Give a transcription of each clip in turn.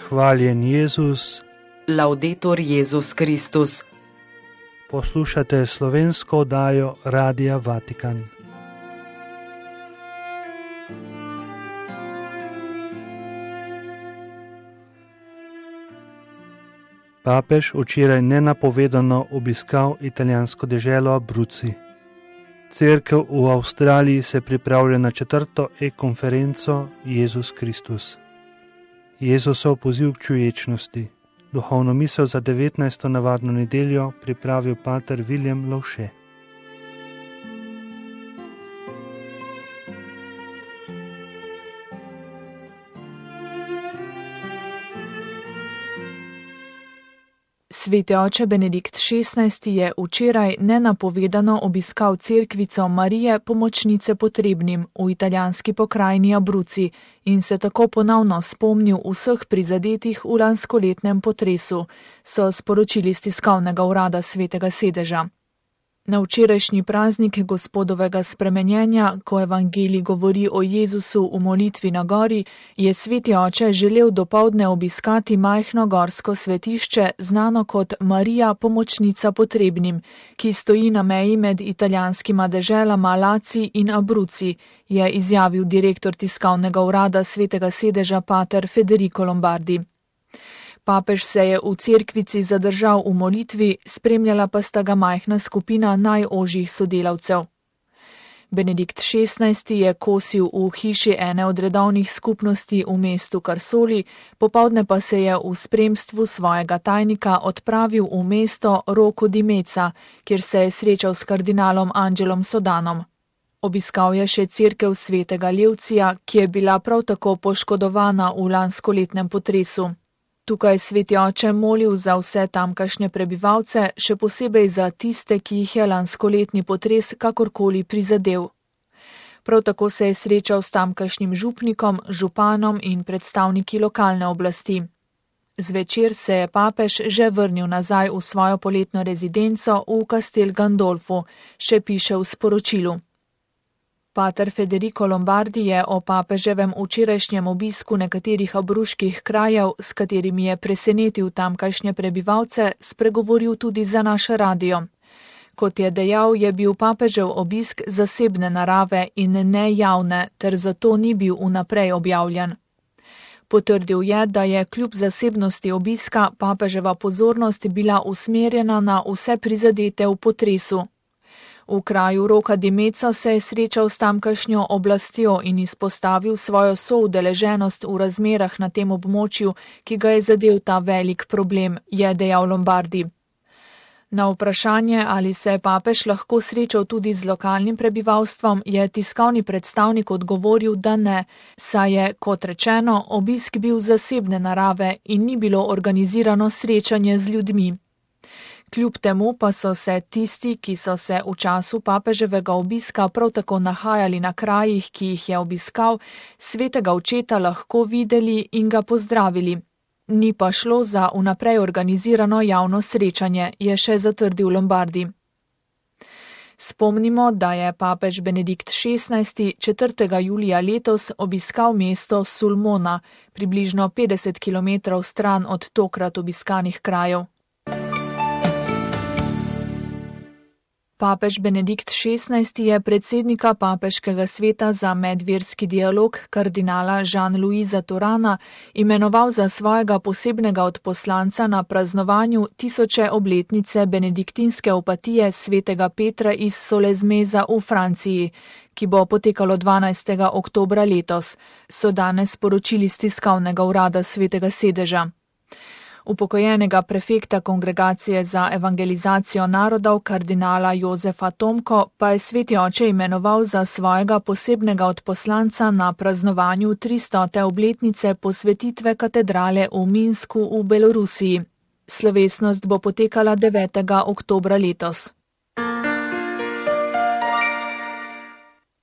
Hvaljen Jezus. Laudetur Jezus Kristus. Poslušate slovensko oddajo Radia Vatikan. Papež včeraj nenapovedano obiskal italijansko deželo Abruzzi. Cerkev v Avstraliji se pripravlja na 4. e-konferenco Jezus Kristus. Jezusov poziv k čuječnosti. Duhovno misel za 19. navadno nedeljo pripravil pater William Lovše. Sveti oče Benedikt XVI. Je včeraj nenapovedano obiskal cerkvico Marije pomočnice potrebnim v italijanski pokrajini Abruzzi in se tako ponovno spomnil vseh prizadetih v lanskoletnem potresu, so sporočili iz tiskovnega urada Svetega sedeža. Na včerajšnji praznik Gospodovega spremenjenja, ko evangelij govori o Jezusu v molitvi na gori, je sveti oče želel dopoldne obiskati majhno gorsko svetišče, znano kot Marija pomočnica potrebnim, ki stoji na meji med italijanskima deželama Laci in Abruzzi, je izjavil direktor tiskovnega urada Svetega sedeža pater Federico Lombardi. Papež se je v cerkvici zadržal v molitvi, spremljala pa sta ga majhna skupina najožjih sodelavcev. Benedikt XVI. Je kosil v hiši ene od redovnih skupnosti v mestu Karsoli, popoldne pa se je v spremstvu svojega tajnika odpravil v mesto Rocco di Mezza, kjer se je srečal s kardinalom Angelom Sodanom. Obiskal je še cerkev svetega Levcija, ki je bila prav tako poškodovana v lanskoletnem potresu. Tukaj sveti oče molil za vse tamkajšnje prebivalce, še posebej za tiste, ki jih je lanskoletni potres kakorkoli prizadel. Prav tako se je srečal s tamkajšnjim župnikom, županom in predstavniki lokalne oblasti. Zvečer se je papež že vrnil nazaj v svojo poletno rezidenco v Castel Gandolfu, še piše v sporočilu. Pater Federico Lombardi je o papeževem včerajšnjem obisku nekaterih abruških krajev, s katerimi je presenetil tamkajšnje prebivalce, spregovoril tudi za naš radio. Kot je dejal, je bil papežev obisk zasebne narave in ne javne, ter zato ni bil vnaprej objavljen. Potrdil je, da je kljub zasebnosti obiska papeževa pozornost bila usmerjena na vse prizadete v potresu. V kraju Rocca di Mezza se je srečal s tamkajšnjo oblastjo in izpostavil svojo soudeleženost v razmerah na tem območju, ki ga je zadel ta velik problem, je dejal Lombardi. Na vprašanje, ali se je papež lahko srečal tudi z lokalnim prebivalstvom, je tiskovni predstavnik odgovoril, da ne, saj je, kot rečeno, obisk bil zasebne narave in ni bilo organizirano srečanje z ljudmi. Kljub temu pa so se tisti, ki so se v času papeževega obiska prav tako nahajali na krajih, ki jih je obiskal, svetega očeta lahko videli in ga pozdravili. Ni pa šlo za vnaprej organizirano javno srečanje, je še zatrdil Lombardi. Spomnimo, da je papež Benedikt XVI. 4. julija letos obiskal mesto Sulmona, približno 50 km stran od tokrat obiskanih krajev. Papež Benedikt XVI. Je predsednika Papeškega sveta za medverski dialog kardinala Jean-Louisa Turana imenoval za svojega posebnega odposlanca na praznovanju 1000. obletnice benediktinske opatije svetega Petra iz Solesmeza v Franciji, ki bo potekalo 12. oktobra letos, so danes sporočili iz tiskovnega urada Svetega sedeža. Upokojenega prefekta Kongregacije za evangelizacijo narodov kardinala Jozefa Tomko pa je sveti oče imenoval za svojega posebnega odposlanca na praznovanju 300. obletnice posvetitve katedrale v Minsku v Belorusiji. Slovesnost bo potekala 9. oktobra letos.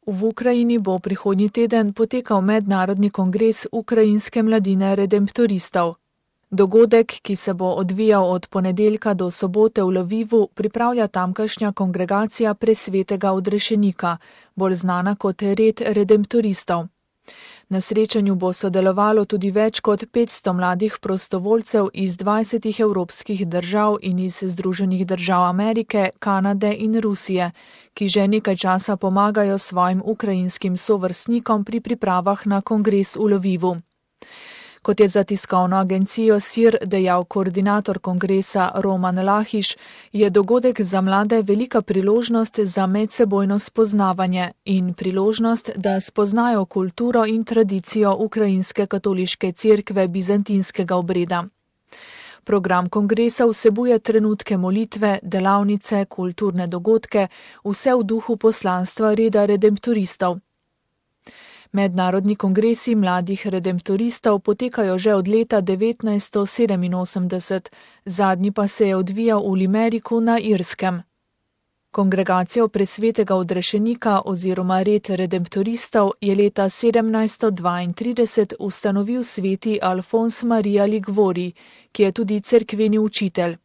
V Ukrajini bo prihodnji teden potekal mednarodni kongres ukrajinske mladine redemptoristov. Dogodek, ki se bo odvijal od ponedeljka do sobote v Lvivu, pripravlja tamkajšnja kongregacija Presvetega odrešenika, bolj znana kot Red redemptoristov. Na srečanju bo sodelovalo tudi več kot 500 mladih prostovoljcev iz 20 evropskih držav in iz Združenih držav Amerike, Kanade in Rusije, ki že nekaj časa pomagajo svojim ukrajinskim sovrstnikom pri pripravah na kongres v Lvivu. Kot je za tiskovno agencijo SIR dejal koordinator kongresa Roman Lahiš, je dogodek za mlade velika priložnost za medsebojno spoznavanje in priložnost, da spoznajo kulturo in tradicijo ukrajinske katoliške cerkve bizantinskega obreda. Program kongresa vsebuje trenutke molitve, delavnice, kulturne dogodke, vse v duhu poslanstva reda redemptoristov. Mednarodni kongresi mladih redemptoristov potekajo že od leta 1987, zadnji pa se je odvijal v Limeriku na Irskem. Kongregacijo presvetega odrešenika oziroma red redemptoristov je leta 1732 ustanovil sveti Alfons Maria Ligvori, ki je tudi cerkveni učitelj.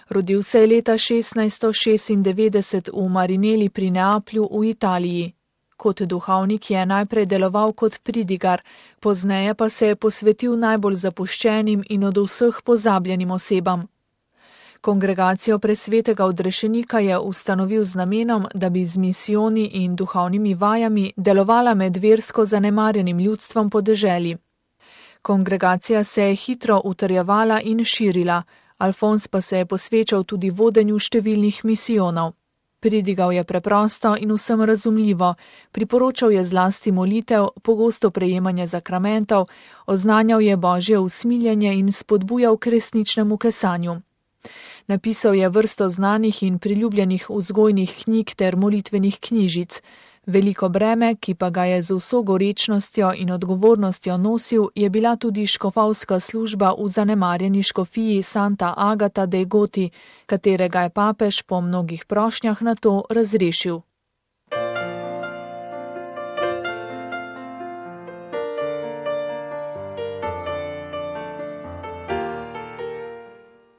Rodil se je leta 1696 v Marineli pri Neaplju v Italiji. Kot duhovnik je najprej deloval kot pridigar, pozneje pa se je posvetil najbolj zapuščenim in od vseh pozabljenim osebam. Kongregacijo presvetega odrešenika je ustanovil z namenom, da bi z misijoni in duhovnimi vajami delovala med versko zanemarjenim ljudstvom po deželi. Kongregacija se je hitro utrjevala in širila, Alfons pa se je posvečal tudi vodenju številnih misijonov. Pridigal je preprosto in vsem razumljivo, priporočal je zlasti molitev, pogosto prejemanje zakramentov, oznanjal je božje usmiljenje in spodbujal k resničnemu kesanju. Napisal je vrsto znanih in priljubljenih vzgojnih knjig ter molitvenih knjižic. Veliko breme, ki pa ga je z vso gorečnostjo in odgovornostjo nosil, je bila tudi škofovska služba v zanemarjeni škofiji Santa Agata dei Goti, katerega je papež po mnogih prošnjah na to razrešil.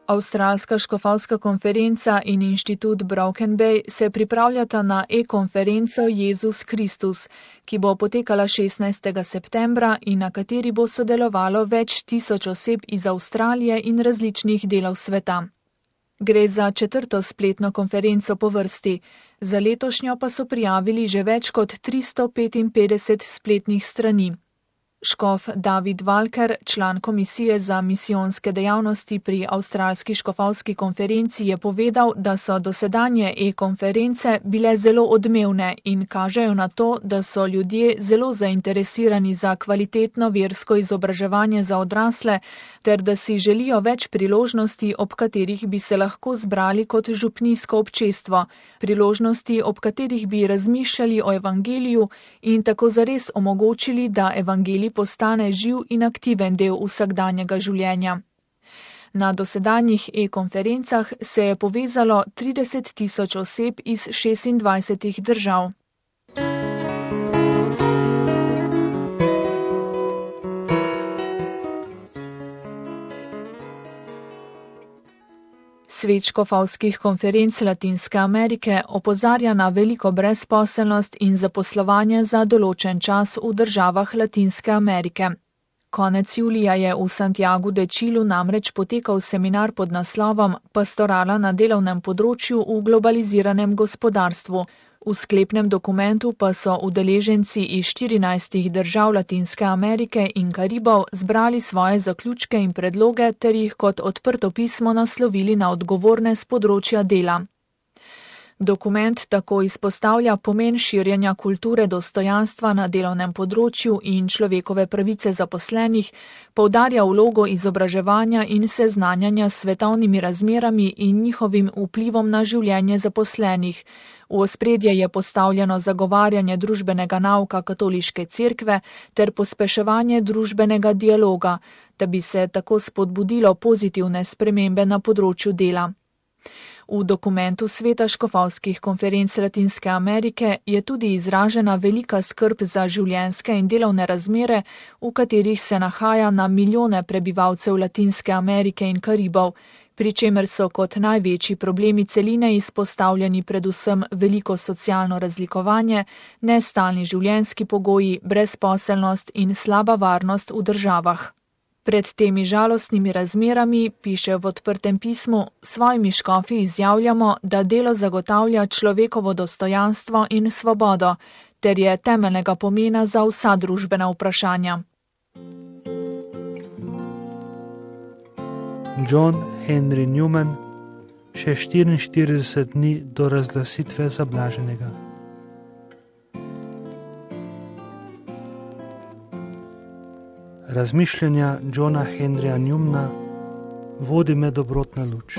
Avstralska škofovska konferenca in inštitut Broken Bay se pripravljata na e-konferenco Jezus Kristus, ki bo potekala 16. septembra in na kateri bo sodelovalo več tisoč oseb iz Avstralije in različnih delov sveta. Gre za 4. spletno konferenco po vrsti, za letošnjo pa so prijavili že več kot 355 spletnih strani. Škof David Walker, član komisije za misijonske dejavnosti pri Avstralski škofovski konferenci, je povedal, da so dosedanje e-konference bile zelo odmevne in kažejo na to, da so ljudje zelo zainteresirani za kvalitetno versko izobraževanje za odrasle, ter da si želijo več priložnosti, ob katerih bi se lahko zbrali kot župnijsko občestvo, priložnosti, ob katerih bi razmišljali o evangeliju in tako zares omogočili, da evangelij postane živ in aktiven del vsakdanjega življenja. Na dosedanjih e-konferencah se je povezalo 30 000 oseb iz 26 držav. Svet škofovskih konferenc Latinske Amerike opozarja na veliko brezposelnost in zaposlovanje za določen čas v državah Latinske Amerike. Konec julija je v Santiagu de Chilu namreč potekal seminar pod naslovom Pastorala na delovnem področju v globaliziranem gospodarstvu. V sklepnem dokumentu pa so udeleženci iz 14 držav Latinske Amerike in Karibov zbrali svoje zaključke in predloge ter jih kot odprto pismo naslovili na odgovorne s področja dela. Dokument tako izpostavlja pomen širjenja kulture dostojanstva na delovnem področju in človekove pravice zaposlenih, poudarja vlogo izobraževanja in seznanjanja s svetovnimi razmerami in njihovim vplivom na življenje zaposlenih. V ospredje je postavljeno zagovarjanje družbenega nauka katoliške cerkve ter pospeševanje družbenega dialoga, da bi se tako spodbudilo pozitivne spremembe na področju dela. V dokumentu Sveta škofovskih konferenc Latinske Amerike je tudi izražena velika skrb za življenjske in delovne razmere, v katerih se nahaja na milijone prebivalcev Latinske Amerike in Karibov, pri čemer so kot največji problemi celine izpostavljeni predvsem veliko socialno razlikovanje, nestalni življenjski pogoji, brezposelnost in slaba varnost v državah. Pred temi žalostnimi razmerami, piše v odprtem pismu, svojimi škofi izjavljamo, da delo zagotavlja človekovo dostojanstvo in svobodo, ter je temeljnega pomena za vsa družbena vprašanja. John Henry Newman, še 44 dni do razglasitve za blaženega. Razmišljanja Johna Henryja Newmana vodi me dobrotna luč.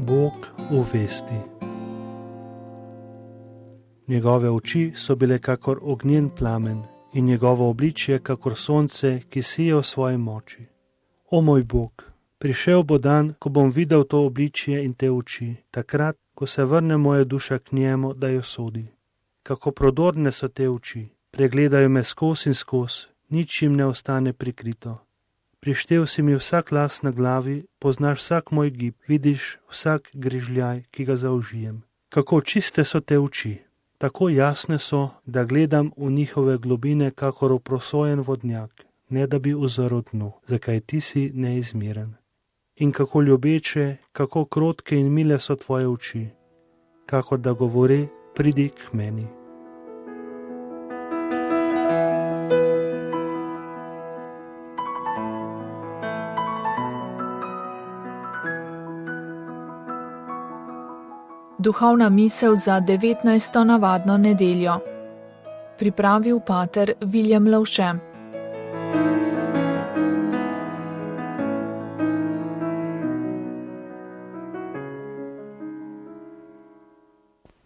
Bog v vesti. Njegove oči so bile kakor ognjen plamen in njegovo obličje kakor sonce, ki sije v svoji moči. O moj Bog, prišel bo dan, ko bom videl to obličje in te oči, takrat, ko se vrne moja duša k njemu, da jo sodi. Kako prodorne so te oči, pregledajo me skoz in skoz, nič jim ne ostane prikrito. Prištel si mi vsak las na glavi, poznaš vsak moj gib, vidiš vsak grižljaj, ki ga zaužijem. Kako čiste so te oči, tako jasne so, da gledam v njihove globine kakor v prosojen vodnjak, ne da bi uzrl dnu, zakaj ti si neizmeren. In kako ljubeče, kako krotke in mile so tvoje oči, kakor da govori, pridi k meni. Duhovna misel za 19. navadno nedeljo. Pripravil pater Viljem Lovše.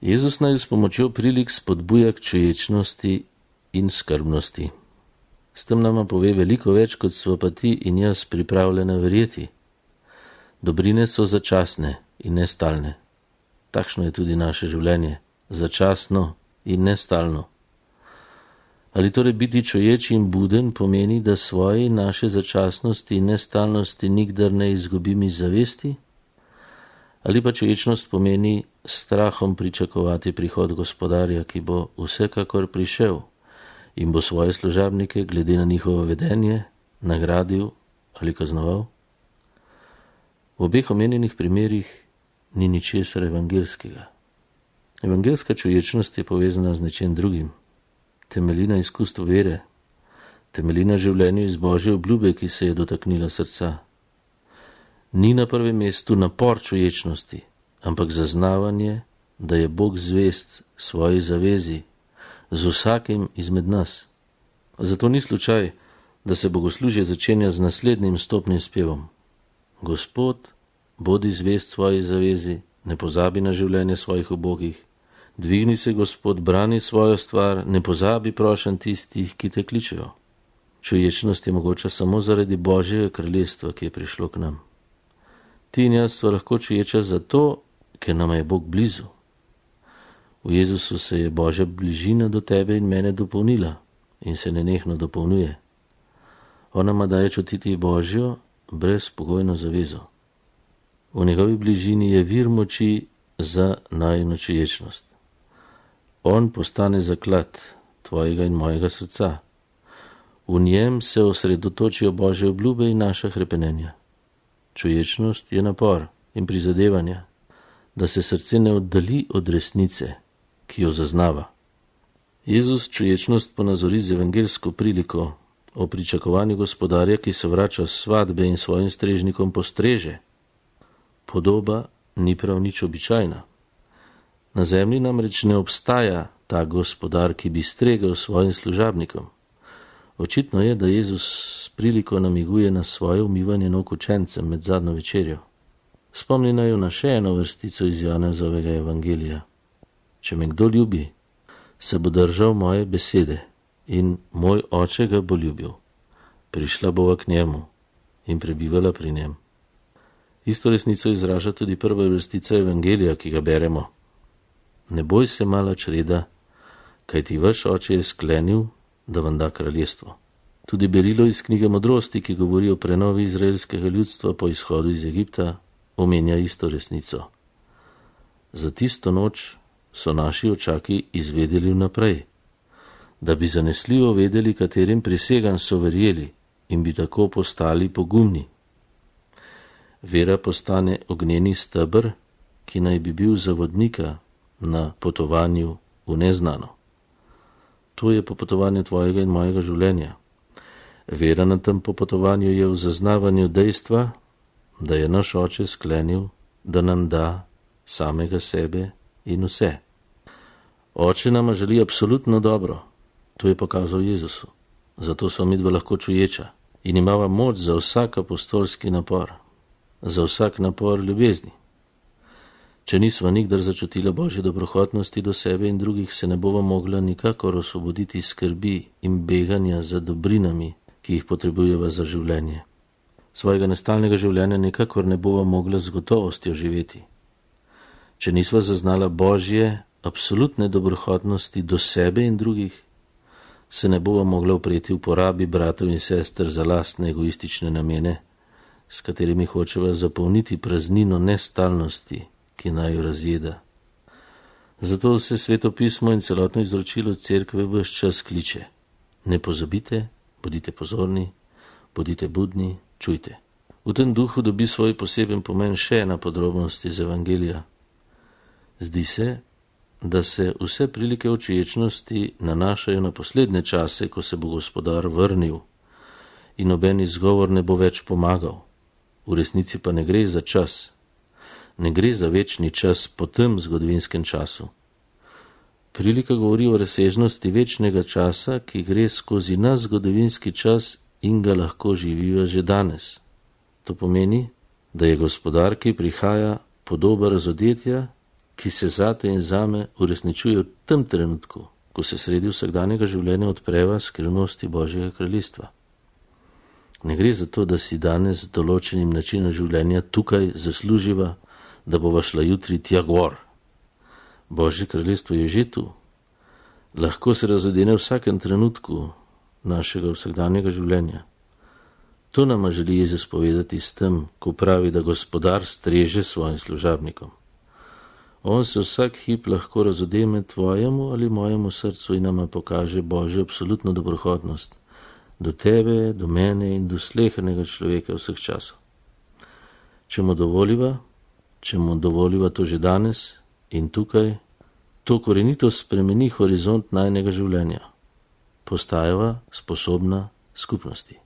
Jezus naj s pomočjo prilik spodbuja k čuječnosti in skrbnosti. S tem nama pove veliko več, kot sva pa ti in jaz pripravljena verjeti. Dobrine so začasne in nestalne. Takšno je tudi naše življenje, začasno in nestalno. Ali torej biti čuječ in buden pomeni, da svoje naše začasnosti in nestalnosti nikdar ne izgubim iz zavesti? Ali pa čuječnost pomeni strahom pričakovati prihod gospodarja, ki bo vsekakor prišel in bo svoje služabnike glede na njihovo vedenje nagradil ali kaznoval? V obeh omenjenih primerih ni ničesar evangelskega. Evangelska čuječnost je povezana z nečem drugim. Temelji na izkustvu vere, temelji na življenju iz Božje obljube, ki se je dotaknila srca. Ni na prvem mestu napor čuječnosti, ampak zaznavanje, da je Bog zvest svoji zavezi z vsakim izmed nas. Zato ni slučaj, da se bogoslužje začenja z naslednjim stopnim spevom. Gospod, bodi zvest svoji zavezi, ne pozabi na življenje svojih ubogih. Dvigni se, Gospod, brani svojo stvar, ne pozabi prošenj tistih, ki te kličejo. Čuječnost je mogoča samo zaradi Božjega kraljestva, ki je prišlo k nam. Ti in jaz sva lahko čuječa zato, ker nama je Bog blizu. V Jezusu se je Božja bližina do tebe in mene dopolnila in se nenehno dopolnjuje. On nama daje čutiti Božjo brezpogojno zavezo. V njegovi bližini je vir moči za najino čuječnost. On postane zaklad tvojega in mojega srca. V njem se osredotočijo Božje obljube in naša hrepenenja. Čuječnost je napor in prizadevanja, da se srce ne oddali od resnice, ki jo zaznava. Jezus čuječnost ponazori z evangelsko priliko o pričakovanju gospodarja, ki se vrača s svadbe in svojim strežnikom postreže. Podoba ni prav nič običajna. Na zemlji namreč ne obstaja ta gospodar, ki bi stregel svojim služabnikom. Očitno je, da Jezus s priliko namiguje na svoje umivanje nog učencem med zadnjo večerjo. Spomni naju na še eno vrstico iz Janezovega evangelija. Če me kdo ljubi, se bo držal moje besede in moj oče ga bo ljubil. Prišla bova k njemu in prebivala pri njem. Isto resnico izraža tudi prva vrstica evangelija, ki ga beremo. Ne boj se, mala čreda, kajti vaš oče je sklenil, da vam da kraljestvo. Tudi berilo iz knjige Modrosti, ki govori o prenovi izraelskega ljudstva po izhodu iz Egipta, omenja isto resnico. Za tisto noč so naši očaki izvedeli vnaprej, da bi zanesljivo vedeli, katerim prisegam so verjeli in bi tako postali pogumni. Vera postane ognjeni steber, ki naj bi bil za vodnika na potovanju v neznano. To je popotovanje tvojega in mojega življenja. Vera na tem popotovanju je v zaznavanju dejstva, da je naš oče sklenil, da nam da samega sebe in vse. Oče nama želi absolutno dobro, to je pokazal Jezusu. Zato so midva lahko čuječa in imava moč za vsak apostolski napor, za vsak napor ljubezni. Če nisva nikdar začutila Božje dobrohotnosti do sebe in drugih, se ne bova mogla nikakor osvoboditi skrbi in beganja za dobrinami, ki jih potrebujeva za življenje. Svojega nestalnega življenja nikakor ne bova mogla z gotovostjo živeti. Če nisva zaznala Božje absolutne dobrohotnosti do sebe in drugih, se ne bova mogla upreti uporabi bratov in sester za lastne egoistične namene, s katerimi hočeva zapolniti praznino nestalnosti, ki naj jo razjeda. Zato se Sveto pismo in celotno izročilo Cerkve ves čas kliče: ne pozabite, bodite pozorni, bodite budni, čujte. V tem duhu dobi svoj poseben pomen še ena podrobnost iz Evangelija. Zdi se, da se vse prilike očiječnosti nanašajo na poslednje čase, ko se bo Gospodar vrnil in noben izgovor ne bo več pomagal. V resnici pa ne gre za čas. Ne gre za večni čas po tem zgodovinskem času. Prilika govori o razsežnosti večnega časa, ki gre skozi naš zgodovinski čas in ga lahko živijo že danes. To pomeni, da je Gospodar, ki prihaja, podoba razodetja, ki se zate in zame uresničuje v tem trenutku, ko se sredi vsakdanjega življenja odpreva skrivnosti Božjega kraljestva. Ne gre za to, da si danes z določenim načinom življenja tukaj zasluživa, da bova šla jutri tja gor. Božje kraljestvo je že tu. Lahko se razodene v vsakem trenutku našega vsakdanjega življenja. To nama želi Jezus povedati s tem, ko pravi, da Gospodar streže svojim služabnikom. On se vsak hip lahko razodeme tvojemu ali mojemu srcu in nama pokaže Božjo absolutno dobrohotnost do tebe, do mene in do slehernega človeka vseh časov. Če mu dovoliva to že danes in tukaj, to korenito spremeni horizont najnega življenja. Postajava sposobna skupnosti.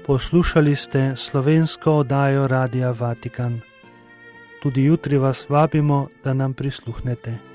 Poslušali ste slovensko oddajo Radia Vatikan. Tudi jutri vas vabimo, da nam prisluhnete.